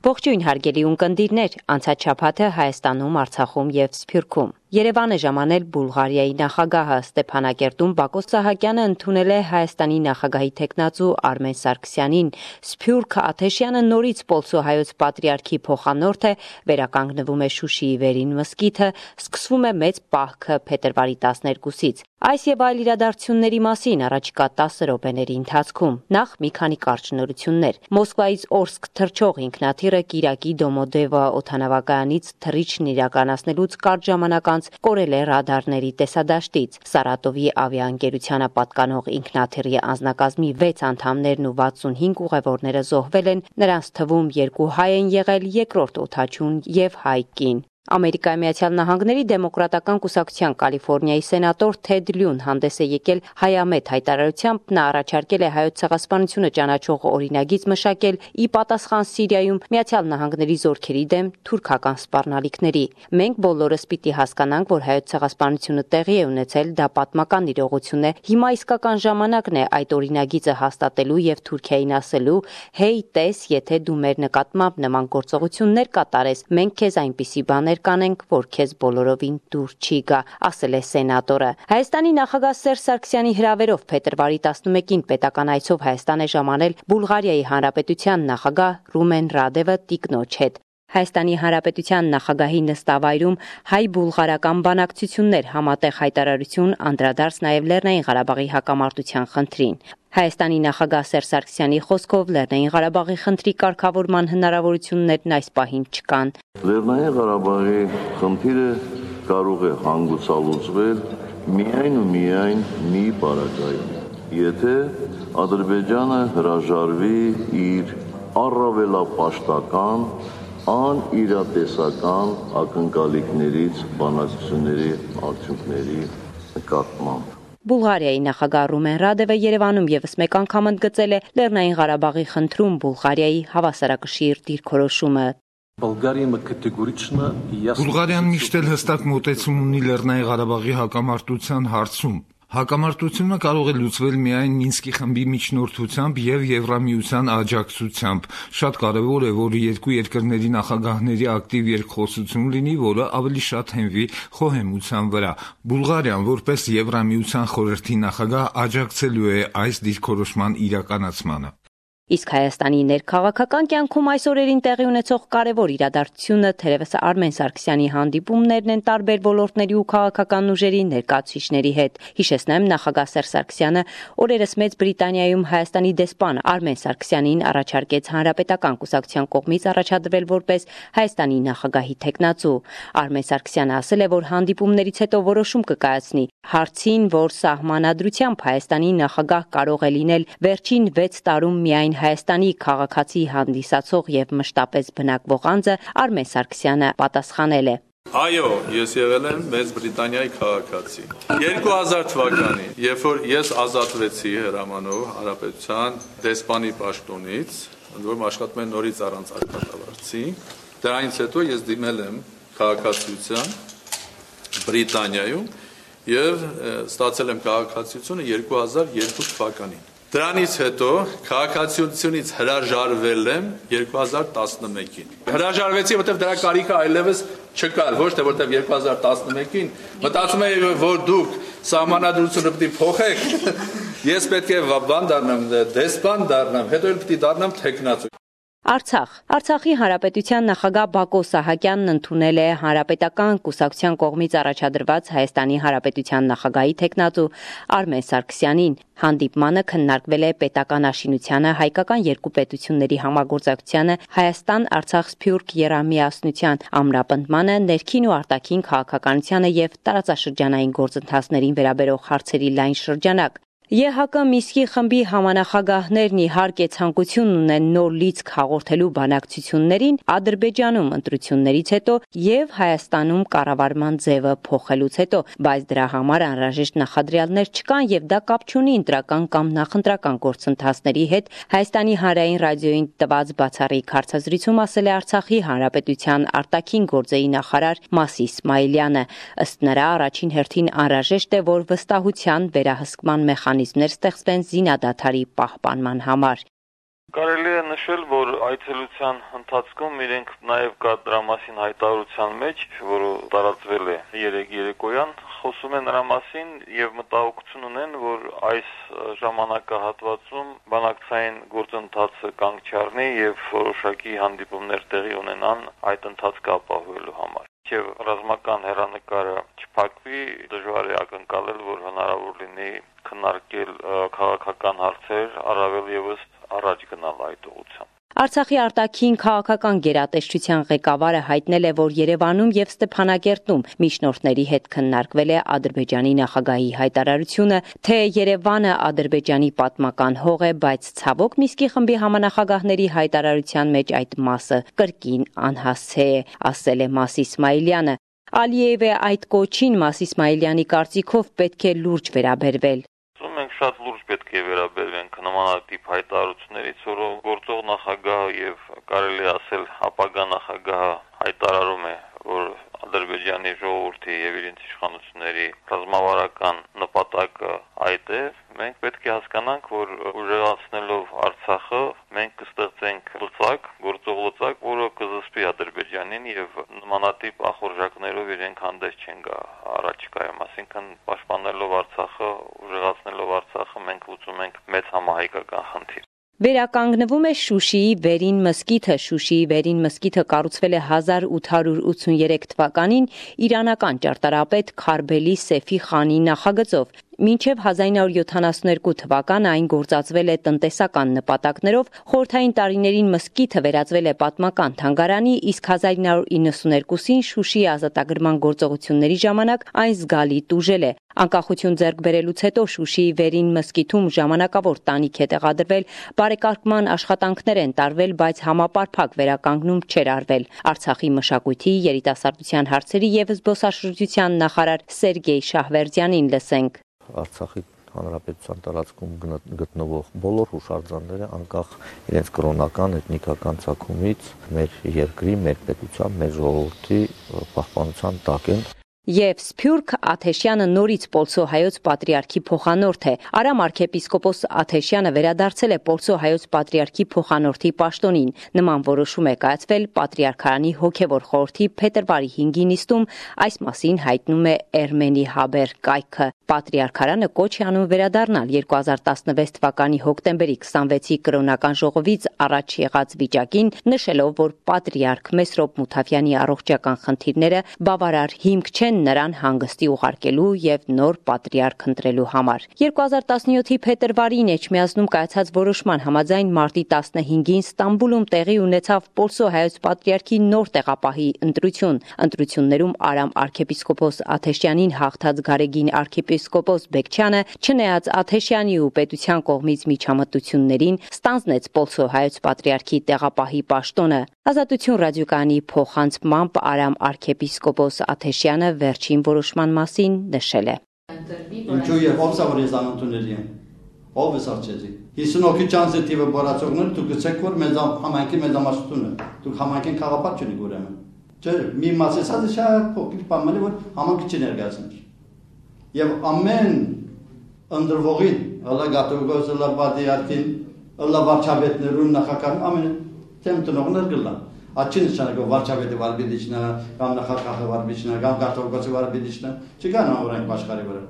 Ողջույն հարգելի ունկնդիրներ, անցած շաբաթը Հայաստանում, Արցախում եւ Սփյուռքում։ Երևան է ժամանել Բուլղարիայի նախագահը Ստեփանակերտում Բակո Սահակյանը ընդունել է Հայաստանի նախագահի թեկնածու Արմեն Սարգսյանին։ Սփյուռք Աթեշյանը նորից Պոլսո հայոց պատրիարքի փոխանորդ է, վերականգնվում է Շուշիի Վերին մզկիթը, սկսվում է մեծ պահքը փետրվարի 12-ից։ Այս եւ այլ իրադարձությունների մասին առաջիկա 10 րոպեների ընթացքում նախ մի քանի կարճ նորություններ։ Մոսկվայից Օրսկ թռչող ինքնաթիռը Կիրակի Դոմոդեվա օդանավակայանից թռիչքն իրականացնելուց կարճ ժամանակ անց կորել է ռադարների տեսադաշտից։ Սարատովի ավիաընկերությանը պատկանող ինքնաթիռի անձնակազմի 6 անդամներն ու 65 ուղևորները զոհվել են, նրանց թվում 2 հայ են եղել, երկրորդ օդաչուն եւ հայ կին։ Ամերիկայի Միացյալ Նահանգների դեմոկրատական կուսակցության Կալիֆոռնիայի սենատոր Թեդ Լյուն հանդես է եկել հայամետ հայտարարությամբ, նա առաջարկել է հայոց ցեղասպանությունը ճանաչող օրինագիծ մշակել ի պատասխան Սիրիայում Միացյալ Նահանգների զորքերի դեմ թուրքական սպառնալիքների։ Մենք բոլորս պիտի հասկանանք, որ հայոց ցեղասպանությունը տեղի է ունեցել, դա պատմական իրողություն է։ Հիմա իսկական ժամանակն է այդ օրինագիծը հաստատելու եւ Թուրքիային ասելու. «Հեյ, տես, եթե դու մեր նկատմամբ նման գործողություններ կատարես, մենք քեզ այնպիսի բաներ կանենք, որ քեզ բոլորովին դուր չի գա», ասել է սենատորը։ Հայաստանի նախագահ Սերժ Սարգսյանի հրավերով փետրվարի 11-ին պետական այցով Հայաստան է ժամանել Բուլղարիայի Հանրապետության նախագահ Ռումեն Ռադևը տիկնոջ հետ։ Հայաստանի Հանրապետության նախագահի նստավայրում հայ-բուլղարական բանակցություններ, համատեղ հայտարարություն, անդրադարձ նաև Լեռնային Ղարաբաղի հակամարտության խնդրին։ Հայաստանի նախագահ Սերժ Սարգսյանի խոսքով Լեռնային Ղարաբաղի խնդրի կարգավորման հնարավորություններն այս պահին չկան։ Լեռնային Ղարաբաղի խնդիրը կարող է հանգուցալուծվել միայն ու միայն մի պարագայում, եթե Ադրբեջանը հրաժարվի իր առավելապաշտական անիրատեսական ակնկալիքներից բանակցությունների արդյունքների նկատմամբ։ Բուլղարիայի նախագահ Ռումեն Ռադևը Երևանում եւս մեկ անգամ ընդգծել է Լեռնային Ղարաբաղի խնդրում Բուլղարիայի հավասարակշիռ դիրքորոշումը։ Բուլղարիան միշտ էլ հստակ մոտեցում ունի Լեռնային Ղարաբաղի հակամարտության հարցում։ Հակամարտությունը կարող է լուծվել միայն Մինսկի խմբի միջնորդությամբ եւ Եվրամիության աջակցությամբ։ Շատ կարեւոր է, որ երկու երկրների նախագահների ակտիվ երկխոսություն լինի, որը ավելի շատ հենվի խոհեմության վրա։ Բուլղարիան, որպես Եվրամիության խորհրդի նախագահ, աջակցելու է այս դիրքորոշման իրականացմանը։ Իսկ Հայաստանի ներքաղաքական կյանքում այս օրերին տեղի ունեցող կարևոր իրադարձությունը թերևս Արմեն Սարգսյանի հանդիպումներն են տարբեր ոլորտների ու քաղաքական ուժերի ներկայացուցիչների հետ։ Հիշեցնեմ, նախագահ Սերժ Սարգսյանը օրերս Մեծ Բրիտանիայում Հայաստանի դեսպան Արմեն Սարգսյանին առաջարկեց Հանրապետական կուսակցության կողմից առաջադրվել որպես Հայաստանի նախագահի թեկնածու։ Արմեն Սարգսյանը ասել է, որ հանդիպումներից հետո որոշում կկայացնի։ Հարցին, որ սահմանադրությամբ Հայաստանի նախագահ կարող է լինել վերջին 6 տարում միայն Հայաստանի քաղաքացի հանդիսացող եւ մշտապես բնակվող անձը, Արմեն Սարգսյանը պատասխանել է. Այո, ես եղել եմ Մեծ Բրիտանիայի քաղաքացի։ 2000 թվականին, երբ որ ես ազատվեցի հրամանով Հանրապետության դեսպանի պաշտոնից, ընդ որում աշխատում եմ նորից առանց աշխատավարձի, դրանից հետո ես դիմել եմ քաղաքացիության Բրիտանիայում եւ ստացել եմ քաղաքացիությունը 2002 թվականին։ Դրանից հետո քաղաքացիությունից հրաժարվել եմ 2011-ին։ Հրաժարվեցի, որտեղ դրա կարիքը այլևս չկար, ոչ թե որտեղ 2011-ին մտածում էի, որ դուք սահմանադրությունը պիտի փոխեք, ես պետք է բան դառնամ, դեսպան դառնամ, հետո էլ պիտի դառնամ թեկնածու։ Արցախի Հանրապետության նախագահ Բակո Սահակյանն ընդունել է Հանրապետական կուսակցության կողմից առաջադրված Հայաստանի Հանրապետության նախագահի թեկնածու Արմեն Սարգսյանին։ Հանդիպմանը քննարկվել է պետական աշինությանը, հայկական երկու պետությունների համագործակցությանը, Հայաստան-Արցախ-Սփյուռք եռամիասնության ամրապնդմանը, ներքին ու արտաքին քաղաքականությանը եւ տարածաշրջանային գործընթացներին վերաբերող հարցերի լայն շրջանակ։ ԵՀԿ Մինսկի խմբի համանախագահներն իհարկե ցանկություն ունեն նոր լիցք հաղորդելու բանակցություններին Ադրբեջանում ընտրություններից հետո եւ Հայաստանում կառավարման ձևը փոխելուց հետո, բայց դրա համար անհրաժեշտ նախադրյալներ չկան եւ դա կապ չունի ընտրական կամ նախընտրական գործընթացների հետ, Հայաստանի հանրային ռադիոյին տված բացառիկ հարցազրույցում ասել է Արցախի Հանրապետության արտաքին գործերի նախարար Մասի Իսմայելյանը։ Ըստ նրա, առաջին հերթին անհրաժեշտ է, որ վստահության վերահսկման մեխանիզմներ ստեղծվեն զինադադարի պահպանման համար։ Կարելի է նշել, որ այցելության ընթացքում իրենք նաև կա դրա մասին հայտարարության մեջ, որը տարածվել է երեկոյան, խոսում է նրա մասին եւ մտահոգություն ունեն, որ այս ժամանակահատվածում բանակցային գործընթացը կանգ չառնի եւ որոշակի հանդիպումներ տեղի ունենան այդ ընթացքը ապահովելու համար։ Եվ ռազմական հեռանկարը չփակվի, դժվար է ակնկալել, որ հնարավոր լինի քննարկել քաղաքական հարցեր, առավել եւս առաջ գնալ այդ ուղղությամբ։ Արցախի արտաքին քաղաքական գերատեսչության ղեկավարը հայտնել է, որ Երևանում եւ Ստեփանագերտում միջնորդների հետ քննարկվել է Ադրբեջանի նախագահի հայտարարությունը, թե Երևանը Ադրբեջանի պատմական հող է, բայց ցավոք Միսկի խմբի համանախագահների հայտարարության մեջ այդ մասը կրկին անհասցե է, ասել է Մաս Իսմայիլյանը։ Ալիևը այդ կոչին Մաս Իսմայիլյանի կարծիքով պետք է լուրջ վերաբերվել։ Մենք շատ լուրջ պետք է վերաբերվենք նմանատիպ հայտարարություններից, որով գործող նախագահը եւ կարելի ասել ապագա նախագահը հայտարարում է, որ Ադրբեջանի ժողովրդի եւ իրենց իշխանությունների ռազմավարական նպատակը այդ է, մենք պետք է հասկանանք, որ ուժեղացնելով Արցախը մենք կստեղծենք լծակ, գործող լծակ, որը կզսպի Ադրբեջանին եւ նմանատիպ ախորժակներով իրենք հանդես չեն գա առաջիկայում, այսինքն պաշտպանելով Արցախը, ուժեղացնելով Արցախը մենք լուծում ենք մեծ համահայկական խնդիր։ Վերականգնվում է Շուշիի Վերին մզկիթը։ Շուշիի Վերին մզկիթը կառուցվել է 1883 թվականին իրանական ճարտարապետ Քարբելի Սեֆի խանի նախագծով։ Մինչև 1972 թվականը այն գործածվել է տնտեսական նպատակներով, խորհրդային տարիներին մզկիթը վերածվել է պատմական թանգարանի, իսկ 1992-ին Շուշիի ազատագրման գործողությունների ժամանակ այն զգալի տուժել է։ Անկախություն ձեռք բերելուց հետո Շուշիի Վերին մզկիթում ժամանակավոր տանիք է տեղադրվել, բարեկարգման աշխատանքներ են տարվել, բայց համապարփակ վերականգնում չէր արվել։ Արցախի մշակույթի, երիտասարդության հարցերի եւ զբոսաշրջության նախարար Սերգեյ Շահվերդյանին լսենք։ Արցախի հանրապետության տարածքում գտնվող բոլոր հուշարձանները անկախ իրենց կրոնական, էթնիկական ծագումից մեր երկրի, մեր պետության, մեր ժողովրդի պահպանության տակ են։ Եվ Սփյուռք Աթեշյանը նորից Պոլսո հայոց պատրիարքի փոխանորդ է։ Արամ arczepiskopos Աթեշյանը վերադարձել է Պոլսո հայոց պատրիարքի փոխանորդի պաշտոնին։ Նման որոշում է կայացվել Պատրիարքարանի հոգևոր խորհրդի փետրվարի 5-ի նիստում, այս մասին հայտնում է Էրմենի Հաբեր կայքը։ Պատրիարքարանը կոչ է անում վերադառնալ 2016 թվականի հոկտեմբերի 26-ի կրոնական ժողովից առաջ եղած վիճակին, նշելով, որ Պատրիարք Մեսրոպ Մութավյանի առողջական խնդիրները բավարար հիմք չեն նրան հանգստի ուղարկելու եւ նոր պատրիարք ընտրելու համար։ 2017-ի փետրվարին Էջմիածնում կայացած որոշման համաձայն մարտի 15-ին Ստամբուլում տեղի ունեցավ Պոլսո հայոց պատրիարքի նոր տեղապահի ընտրություն։ Ընտրություններում Արամ arczepiskopos Աթեշյանին հաղթած Գարեգին arczepiskopos Բեկչյանը, չնայած Աթեշյանի ու պետության կողմից միջամտություններին, ստանձնեց Պոլսո հայոց պատրիարքի տեղապահի պաշտոնը։ Ազատություն ռադիոկայանի փոխանցմամբ Արամ arczepiskopos Աթեշյանը վերջին որոշման մասին նշել է. Ինչու եւ ով սա որ ես անընդունելի եմ։ Ով է սարճեցի։ 50 չանսը տիվը բորացողներ դուք գցեք որ մեզ համայնքի մեծամասնությունը։ Դուք համայնքին խաղապատ չունիք ուրեմն։ Չէ, մի մասը շատ փոքր բանը որ համայնքը չներկայացնի։ Եվ ամեն ընդրվողին, հələ գատողոս հələ պատիարքին, հələ վարչապետներուն նախագահ ամեն թեմ տնողներ գլան։ Աչին նշանակով վարչապետը վարպետիչնա, կամ նախագահը վարպետիչնա, կամ գատողոսը վարպետիչնա, չկան օրենք աշխարհի վրա։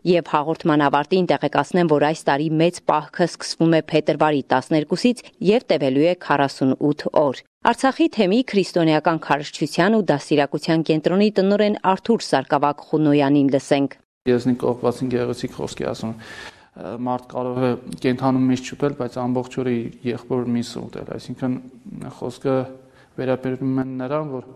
Եվ հաղորդման ավարտին տեղեկացնեմ, որ այս տարի մեծ պահքը սկսվում է փետրվարի 12-ից եւ տևելու է 48 օր։ Արցախի թեմի քրիստոնեական քարոզչության ու դաստիարակության կենտրոնի տնօրեն Արթուր Սարգսակ Խունոյանին լսենք։ Եզնիկ կողպացին գեղեցիկ խոսքի ասում մարդ կարող է կենթանում միշտ չուտել, բայց ամբողջ օրը եղբոր միսը ուտել, այսինքն խոսքը վերաբերվում է նրան, որ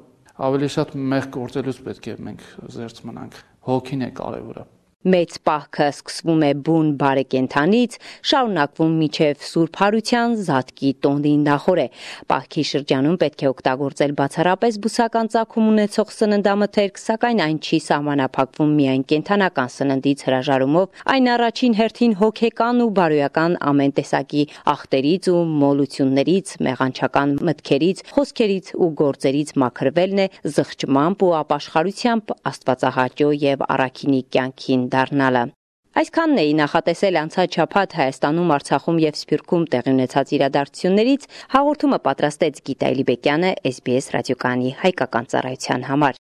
ավելի շատ մեղ գործելուց պետք է մենք զերծ մնանք, հոգին է կարևորը։ Մեծ պահքը սկսվում է բուն բարեկենդանից, շարունակվում մինչև Սուրբ Հարության Զատկի տոնդի նախորե։ Պահքի շրջանում պետք է օգտագործել բացառապես բուսական ծագում ունեցող սննդամթերք, սակայն այն չի սահմանափակվում միայն կենդանական սննդից հրաժարումով, այն առաջին հերթին հոգեկան ու բարոյական ամեն տեսակի ախտերից ու մոլություններից, մեղանչական մտքերից, խոսքերից ու գործերից մաքրվելն է, զղջմամբ ու ապաշխարությամբ Աստվածահաճո եւ առաքինի կյանքին դառնալը։ Այսքանն էի նախատեսել անցած շաբաթ Հայաստանում, Արցախում եւ Սփյուռքում տեղի ունեցած իրադարձություններից հաղորդումը պատրաստեց Գիտա Էլիբեկյանը SBS ռադիոկայանի հայկական ծառայության համար։